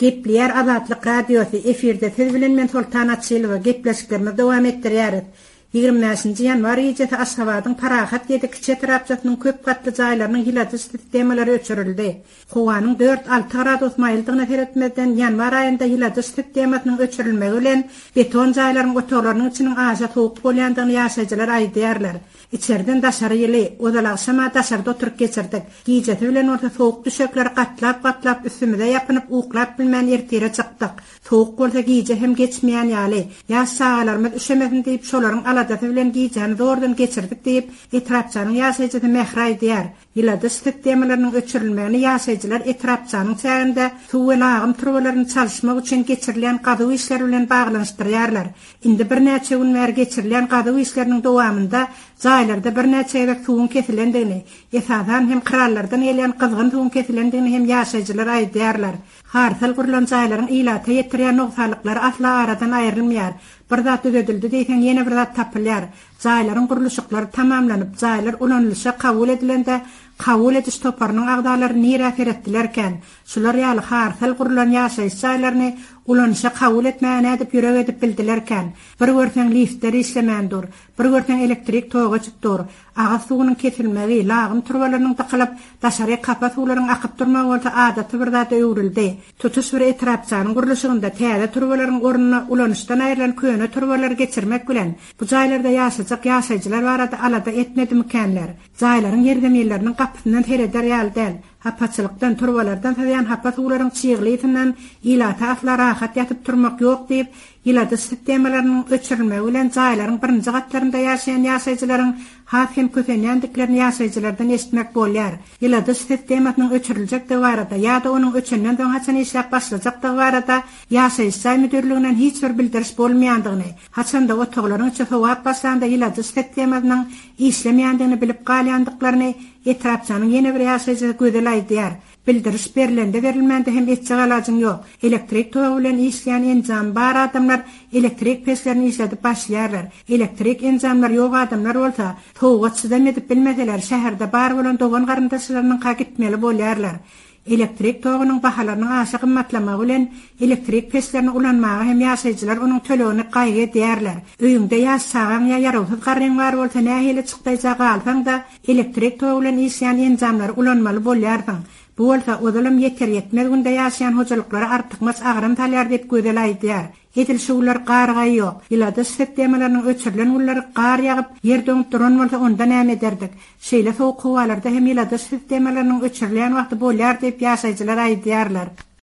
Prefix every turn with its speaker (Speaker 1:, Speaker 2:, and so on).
Speaker 1: Gepleýär Azatlyk Radiosy, efirde siz bilen men Soltan Açylowa, gepleşiklerimizi dowam etdirýäris. 25-nji ýanwar gijesi Aşgabadyň Parahat ýedi kiçi etrapçasynyň köp gatly jaýlarynyň ýyladyş sistemalary öçürildi. Howanyň dört-alty gradus maýyldygyna seretmezden, ýanwar aýynda ýyladyş sistemasynyň öçürilmegi bilen beton jaýlaryň otaglarynyň içiniň aşa sowuk bolýandygyny ýaşaýjylar aýdýarlar. Içerden daşary ýyly, ozal agşam-a daşarda oturyp geçirdik. Gijesi bilen bolsa sowuk düşekleri gatlap-gatlap üstümize ýapynyp uklap bilmän ertire çykdyk. Sowuk bolsa gije hem geçmeýän ýaly. Ýaş çagalarymyz üşemesin diýip şolaryň aladasy bilen gijäni zordan geçirdik diýip, etrapçanyň ýaşaýjysy Mähri aýdýar. Ýyladyş sistemalarynyň öçürilmegini ýaşaýjylar etrapçanyň çäginde suw we lagym turbalaryny çalyşmak üçin geçirilýän gazuw işleri bilen baglanyşdyrýarlar. Indi birnäçe gün bäri geçirilýän gazuw işleriniň dowamynda jaýlarda birnäçe gezek suwuň kesilendigini, esasan hem krallardan gelýän gyzgyn suwuň kesilendigini hem ýaşaýjylar aýdýarlar. Harsal gurlan jaýlaryň ilata ýetirýän nogsanlyklary asla aradan aýrylmaýar. Bir zat düzedildi diýseň, ýene bir zat tapylýar. Jaýlaryň gurluşyklary tamamlanyp, jaýlar ulanylyşa kabul edilende, kabul ediş toparynyň agzalary nirä seretdilerkän? Şular ýaly harsal gurlan ýaşaýyş jaýlaryny ulanyşa kabul etmäge nädip ýürek edip bildilerkän? Bir görseň liftler işlemän dur, bir görseň elektrik togy öçüp dur. Agyz suwunyň kesilmegi, lagym turbalarynyň dykylyp, daşaryk hapa suwlaryň akyp durmagy bolsa adaty bir zada öwrüldi. Tutuş bir etrapçanyň gurluşygynda täze turbalaryň ornuna ulanyşdan aýrylan köne turbalary geçirmek bilen, bu jaýlarda ýaşajak ýaşaýjylar barada alada etmedimikänler? Jaýlaryň ýerzeminleriniň gapysyndan sereder ýaly däl. Hapaçylykdan, turbalardan syzýan hapa suwlaryň çygly ysyndan ilata asla rahat ýatyp turmak ýok diýip, ýyladyş sistemalarynyň öçürilmegi bilen jaýlaryň birinji gatlarynda ýaşaýan ýaşaýjylaryň has hem kösenýändiklerini ýaşaýjylardan eşitmek bolýar. Ýyladyş sistemasynyň öçüriljekdigi barada ýa-da onuň öçenden soň haçan işläp başlajakdygy barada ýaşaýyş jaý müdirliginden hiç bir bildiriş bolmaýandygyny, haçan-da otaglaryň içi sowap başlanda ýyladyş sistemasynyň işlemeýändigini bilip galýandyklaryny etrapçanyň ýene bir ýaşaýjysy Gözel aýdýar. Bildiriş berlende-berilmände hem etjek alajyň ýok. Elektrik togy bilen işleýän enjamy bar adamlar elektrik peçlerini işledip başlaýarlar. Elektrik enjamlary ýok adamlar bolsa, sowuga çydam edip bilmeseler, şäherde bar bolan dogan-garyndaşlarynyňka gitmeli bolýarlar. Elektrik togunyň bahalarynyň aşa gymmatlamagy bilen elektrik peçlerini ulanmaga hem ýaşaýjylar onuň tölegini gaýgy edýärler. Öýüňde ýaş çagaň ýa ýarawsyz garryň bar bolsa nähili çykdaýja galsaň-da, elektrik togy bilen işleýän enjamlary ulanmaly bolýarsyň. Bu bolsa ozalam ýeter-ýetmez günde ýaşaýan hojalyklara artykmaç agram salýar diýip Gözel aýdýar. Edil şu günler gar-gaý ýok. Ýyladyş sistemalarynyň öçürilen günleri gar ýagyp, ýer doňup duran bolsa onda näme ederdik? Şeýle sowuk howalarda hem ýyladyş sistemalarynyň öçürilýän wagty bolýar diýip ýaşaýjylar aýdýarlar.